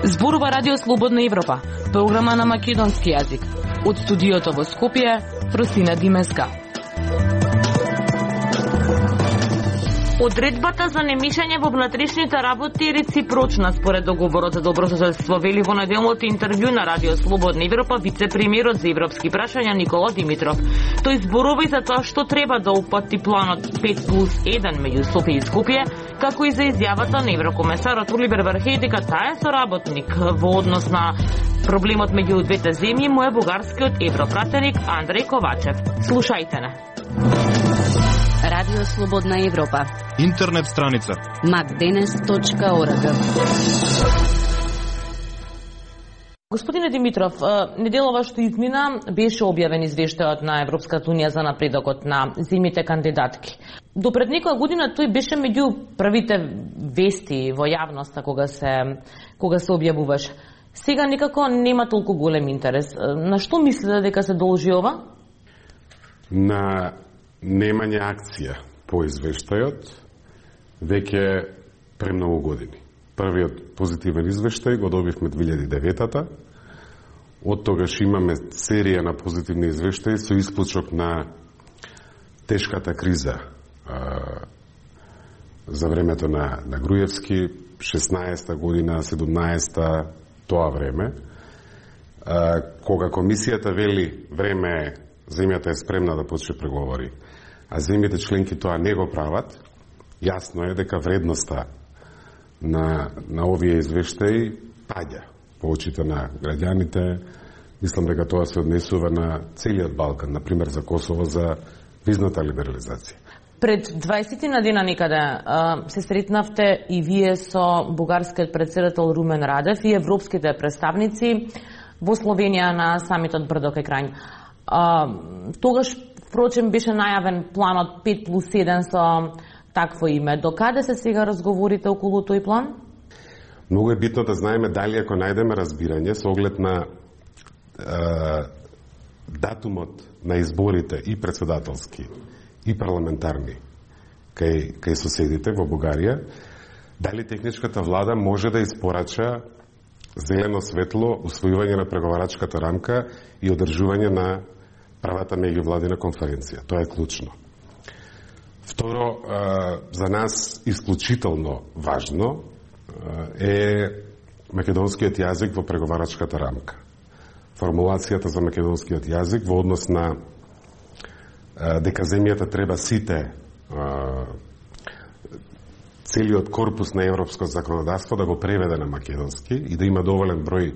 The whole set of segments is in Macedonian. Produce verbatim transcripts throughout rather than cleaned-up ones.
Зборува Радио Слободна Европа, програма на македонски јазик. Од студиото во Скопје, Фросина Димеска. Одредбата за немешање во внатрешните работи е реципрочна според договорот за добрососедство, вели во неделното интервју на Радио Слободна Европа вице-премиерот за европски прашања Никола Димитров. Тој зборува и за тоа што треба да упати планот пет плюс еден меѓу Софија и Скопје, како и за изјавата на еврокомесарот Оливер Вархеј дека таа е соработник во однос на проблемот меѓу двете земји му е бугарскиот европратеник Андреј Ковачев. Слушајте не. Радио Слободна Европа. Интернет страница макденес точка орг. Господине Димитров, неделова што измина беше објавен извештајот на Европската унија за напредокот на земјите кандидатки. До пред некоја година тој беше меѓу првите вести во јавноста кога се кога се објавуваше. Сега некако нема толку голем интерес. На што мислите дека се должи ова? На немање акција по извештајот веќе премногу години. Првиот позитивен извештај го добивме две илјади и девета. Од тогаш имаме серија на позитивни извештаи со исклучок на тешката криза а, за времето на, на Груевски, шеснаесета година, седумнаесета, тоа време, а, кога комисијата вели време земјата е спремна да почне преговори, а земјите членки тоа не го прават, јасно е дека вредноста на, на овие извештаи паѓа по очите на граѓаните. Мислам дека тоа се однесува на целиот Балкан, например за Косово, за визната либерализација. Пред дваесет на дена некаде се сретнавте и вие со бугарскиот претседател Румен Радев и европските представници во Словенија на самитот Брдо кај Крањ. Тогаш, впрочем, беше најавен планот пет плюс еден со такво име. До каде се сега разговорите околу тој план? Многу е битно да знаеме дали ако најдеме разбирање со оглед на е, датумот на изборите и председателски и парламентарни кај, кај соседите во Бугарија, дали техничката влада може да испорача зелено светло усвојување на преговарачката рамка и одржување на правата меѓувладина конференција. Тоа е клучно. Второ, за нас исклучително важно е македонскиот јазик во преговарачката рамка. Формулацијата за македонскиот јазик во однос на дека земјата треба сите целиот корпус на европско законодавство да го преведе на македонски и да има доволен број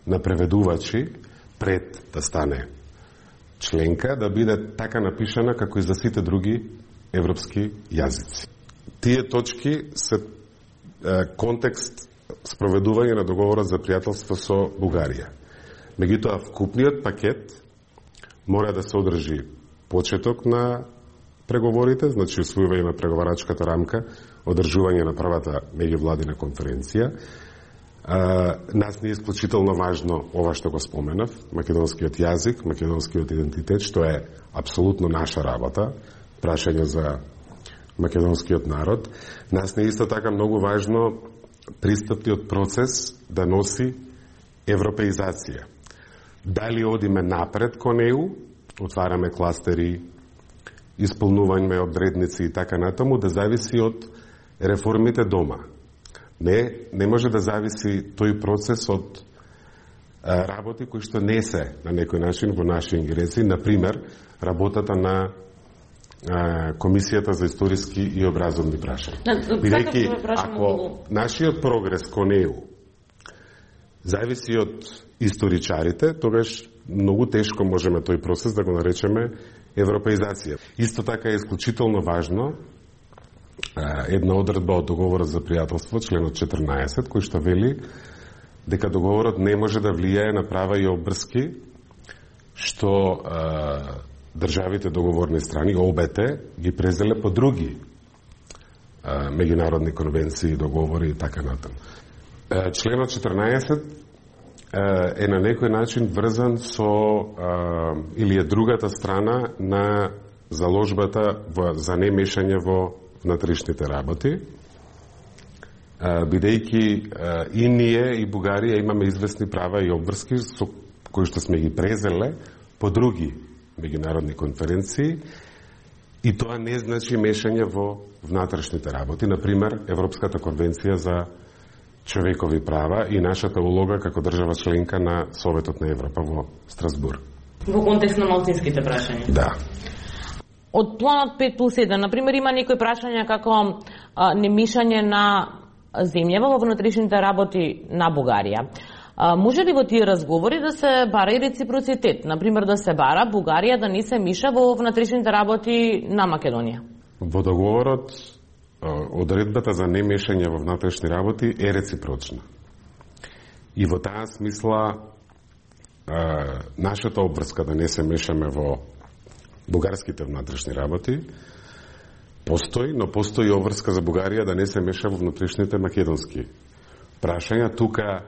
на преведувачи пред да стане членка, да биде така напишана како и за сите други европски јазици. Тие точки се е, контекст спроведување на договорот за пријателство со Бугарија. Меѓутоа, вкупниот пакет мора да се одржи почеток на преговорите, значи усвојување на преговарачката рамка, одржување на правата меѓувладина конференција. А, нас не е исклучително важно ова што го споменав, македонскиот јазик, македонскиот идентитет, што е апсолутно наша работа, прашање за македонскиот народ. Нас не е исто така многу важно пристапниот процес да носи европеизација. Дали одиме напред кон Е У, отвараме кластери, исполнување одредници и така натаму, да зависи од реформите дома. Не, не може да зависи тој процес од а, работи кои што не се на некој начин во наши ингеренции, например, работата на а, Комисијата за историски и образовни прашања. Бидејќи, ако нашиот прогрес кон Е У зависи од историчарите, тогаш многу тешко можеме тој процес да го наречеме европеизација. Исто така е исклучително важно една одредба од договорот за пријателство, членот четрнаесет, кој што вели дека договорот не може да влијае на права и обврски што а, државите договорни страни, обете, ги презеле по други а, меѓународни конвенции, договори и така натаму. Членот четрнаесет е на некој начин врзан со или е другата страна на заложбата во, за немешање во внатрешните работи, бидејќи и ние и Бугарија имаме известни права и обврски со кои што сме ги презеле по други меѓународни конференции, и тоа не значи мешање во внатрешните работи. Например, Европската конвенција за човекови права и нашата улога како држава членка на Советот на Европа во Страсбург. Во контекст на малцинските прашања? Да. Од планот пет плюс еден, например, има некои прашања како а, немешање на земјава во внатрешните работи на Бугарија. А, може ли во тие разговори да се бара и реципроцитет? Например, да се бара Бугарија да не се миша во внатрешните работи на Македонија? Во договорот одредбата за немешање во внатрешни работи е реципрочна. И во таа смисла нашата обврска да не се мешаме во бугарските внатрешни работи постои, но постои обврска за Бугарија да не се меша во внатрешните македонски прашања. Тука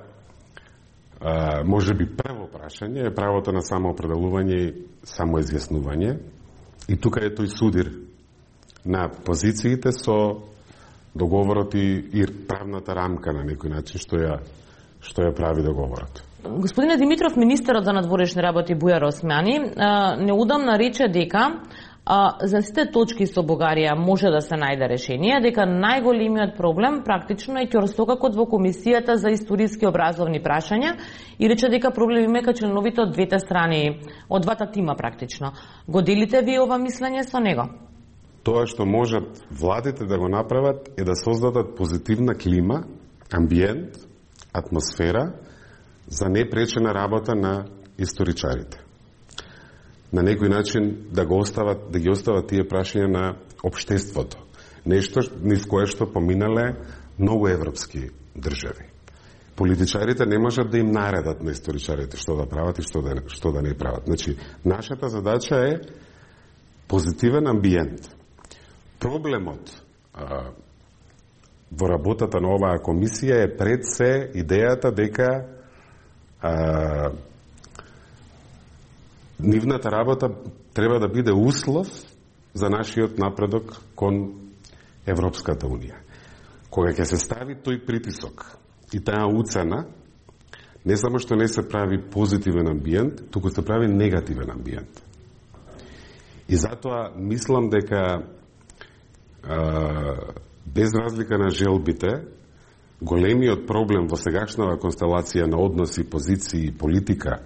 може би прво прашање е правото на самоопределување и самоизјаснување, и тука е тој судир на позициите со договорот и, и правната рамка на некој начин што ја што ја прави договорот. Господине Димитров, министерот за надворешни работи Бујар Османи неудамна рече дека за сите точки со Бугарија може да се најде решение, дека најголемиот проблем практично е ќорстокакот во Комисијата за историски образовни прашања, и рече дека проблем има кај членовите од двете страни, од двата тима практично. Го делите ви ова мислење со него? Тоа што можат владите да го направат е да создадат позитивна клима, амбиент, атмосфера за непречена работа на историчарите. На некој начин да го остават, да ги остават тие прашања на општеството. Нешто низ кое што поминале многу европски држави. Политичарите не можат да им наредат на историчарите што да прават и што да, што да не прават. Значи, нашата задача е позитивен амбиент. Проблемот а, во работата на оваа комисија е пред се идејата дека а, нивната работа треба да биде услов за нашиот напредок кон Европската Унија. Кога ќе се стави тој притисок и таа уцена, не само што не се прави позитивен амбиент, туку се прави негативен амбиент. И затоа мислам дека без разлика на желбите, големиот проблем во сегашната констелација на односи, позиции и политика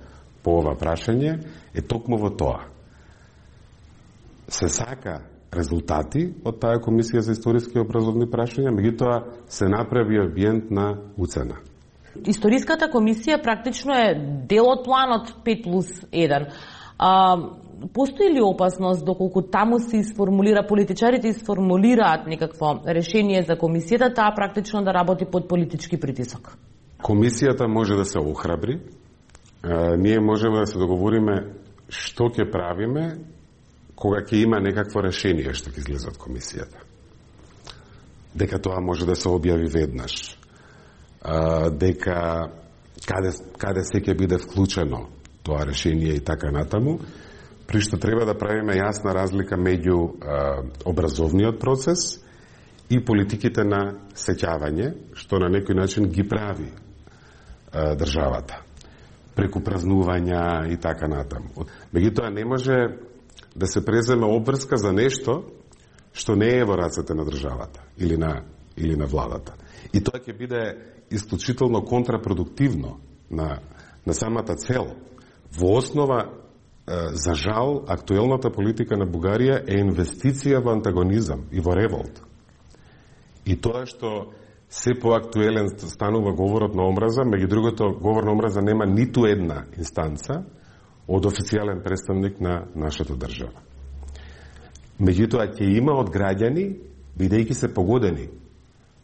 по ова прашање е токму во тоа. Се сака резултати од таа Комисија за историски и образовни прашања, меѓутоа се направи амбиент на уцена. Историската комисија практично е дел од планот пет плюс еден. А, постои ли опасност доколку таму се изформулира, политичарите изформулираат некакво решение за комисијата, таа практично да работи под политички притисок? Комисијата може да се охрабри. А, ние можеме да се договориме што ќе правиме кога ќе има некакво решение што ќе излезе од комисијата. Дека тоа може да се објави веднаш. А, дека каде, каде се ќе биде вклучено тоа решение и така натаму, при што треба да правиме јасна разлика меѓу а, образовниот процес и политиките на сеќавање, што на некој начин ги прави а, државата, преку празнувања и така натаму. Меѓутоа не може да се преземе обврска за нешто што не е во рацете на државата или на, или на владата. И тоа ќе биде исклучително контрапродуктивно на, на самата цел. Во основа, за жал, актуелната политика на Бугарија е инвестиција во антагонизам и во револт. И тоа што се поактуелен станува говорот на омраза, меѓу другото, говор на омраза нема ниту една инстанца од официјален представник на нашата држава. Меѓутоа, ќе има од граѓани, бидејќи се погодени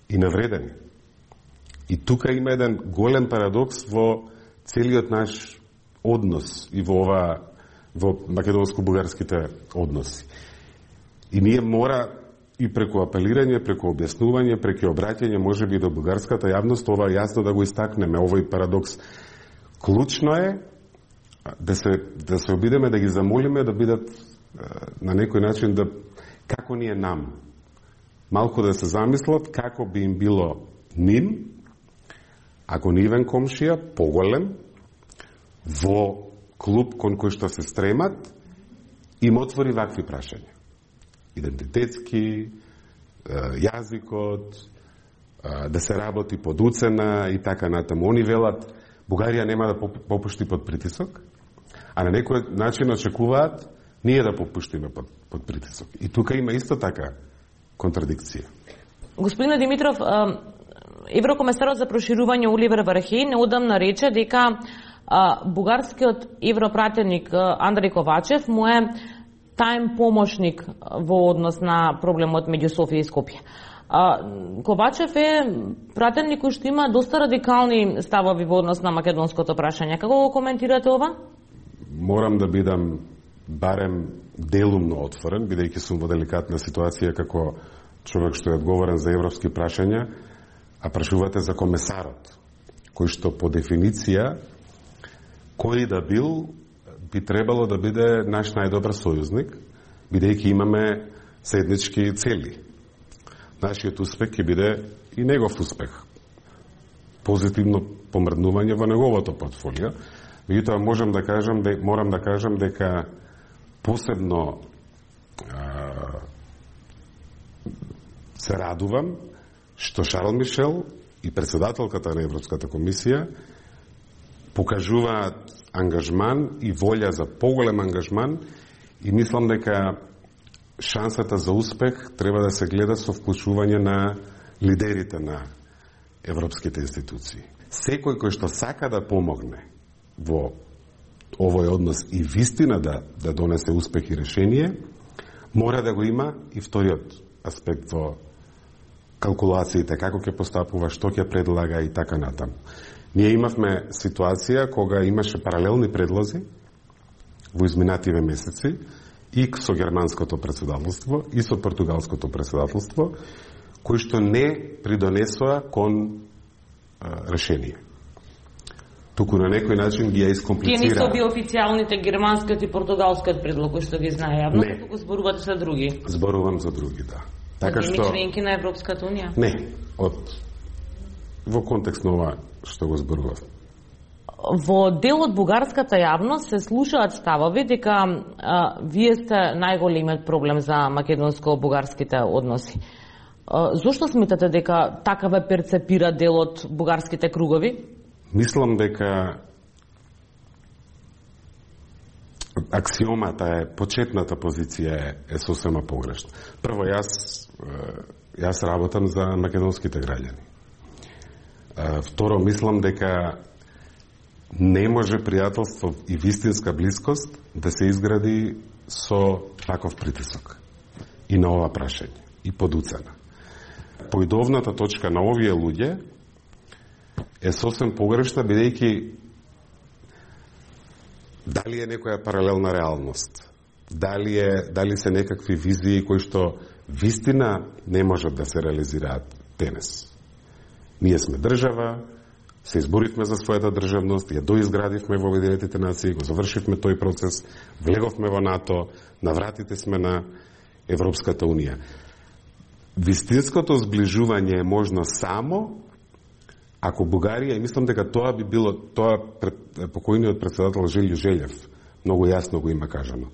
и навредени. И тука има еден голем парадокс во целиот наш однос и во ова во македонско-бугарските односи. И ние мора и преку апелирање, преку објаснување, преку обраќање можеби до бугарската јавност ова јасно да го истакнеме, овој парадокс. Клучно е да се, да се обидеме да ги замолиме да бидат на некој начин да, како ни е нам. Малку да се замислат како би им било ним, ако нивен комшија, поголем, во клуб кон кој што се стремат, им отвори вакви прашања. Идентитетски, јазикот, да се работи под уцена и така натаму. Они велат, Бугарија нема да попушти под притисок, а на некој начин очекуваат ние да попуштиме под, под притисок. И тука има исто така контрадикција. Господин Димитров, еврокомесарот за проширување Оливер Вархеј неодамна рече дека бугарскиот европратеник Андреј Ковачев му е тајм помошник во однос на проблемот меѓу Софија и Скопје. Ковачев е пратеник кој што има доста радикални ставови во однос на македонското прашање. Како го коментирате ова? Морам да бидам барем делумно отворен, бидејќи сум во деликатна ситуација како човек што е одговорен за европски прашања, а прашувате за комесарот, кој што по дефиниција кој да бил би требало да биде наш најдобар сојузник, бидејќи имаме заеднички цели. Нашиот успех ќе биде и негов успех. Позитивно помрднување во неговото портфолио. Меѓутоа можам да кажам, морам да кажам дека посебно а, се радувам што Шарл Мишел и председателката на Европската комисија покажуваат ангажман и волја за поголем ангажман и мислам дека шансата за успех треба да се гледа со вклучување на лидерите на европските институции. Секој кој што сака да помогне во овој однос и вистина да, да донесе успех и решение, мора да го има и вториот аспект во калкулациите, како ќе постапува, што ќе предлага и така натаму. Ние имавме ситуација кога имаше паралелни предлози во изминативе месеци и со германското председателство и со португалското председателство, кои што не придонесоа кон а, решение. Туку на некој начин ги ја искомплицира. Тие не се би официјалните германскиот и португалскиот предлог кои што ги знае јавно, туку зборувате за други. Зборувам за други, да. Така што членки на Европската унија? Не, од во контекст на ова што го зборував. Во дел од бугарската јавност се слушаат ставови дека а, вие сте најголемиот проблем за македонско-бугарските односи. А, зошто сметате дека така ве перцепира дел од бугарските кругови? Мислам дека аксиомата е, почетната позиција е, е сосема погрешна. Прво, јас, јас работам за македонските граѓани. Второ, мислам дека не може пријателство и вистинска блискост да се изгради со таков притисок и на ова прашање и под уцена. Поидовната точка на овие луѓе е сосем погрешна, бидејќи дали е некоја паралелна реалност, дали, е, дали се некакви визии кои што вистина не можат да се реализираат денес. Ние сме држава, се изборивме за својата државност, ја доизградивме во Обединетите нации, го завршивме тој процес, влеговме во НАТО, навратите сме на Европската унија. Вистинското зближување е можно само ако Бугарија, и мислам дека тоа би било, тоа пред, покојниот председател Желјо Желев многу јасно го има кажано.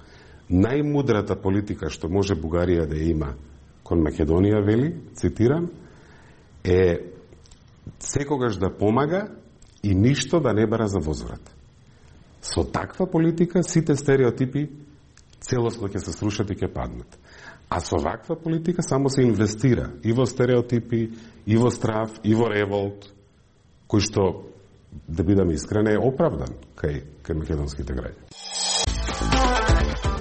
Најмудрата политика што може Бугарија да има кон Македонија, вели, цитирам, е секогаш да помага и ништо да не бара за возврат. Со таква политика сите стереотипи целосно ќе се срушат и ќе паднат. А со ваква политика само се инвестира и во стереотипи, и во страв, и во револт, кој што, да бидаме искрени, е оправдан кај, кај македонските граѓани.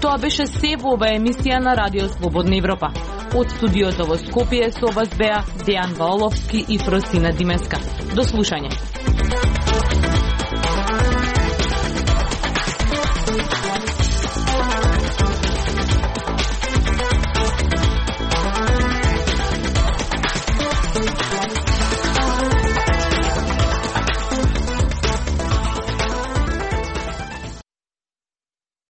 Тоа беше се во ова емисија на Радио Слободна Европа. Од студиото во Скопје со вас беа Дејан Ваоловски и Фросина Димеска. До слушање.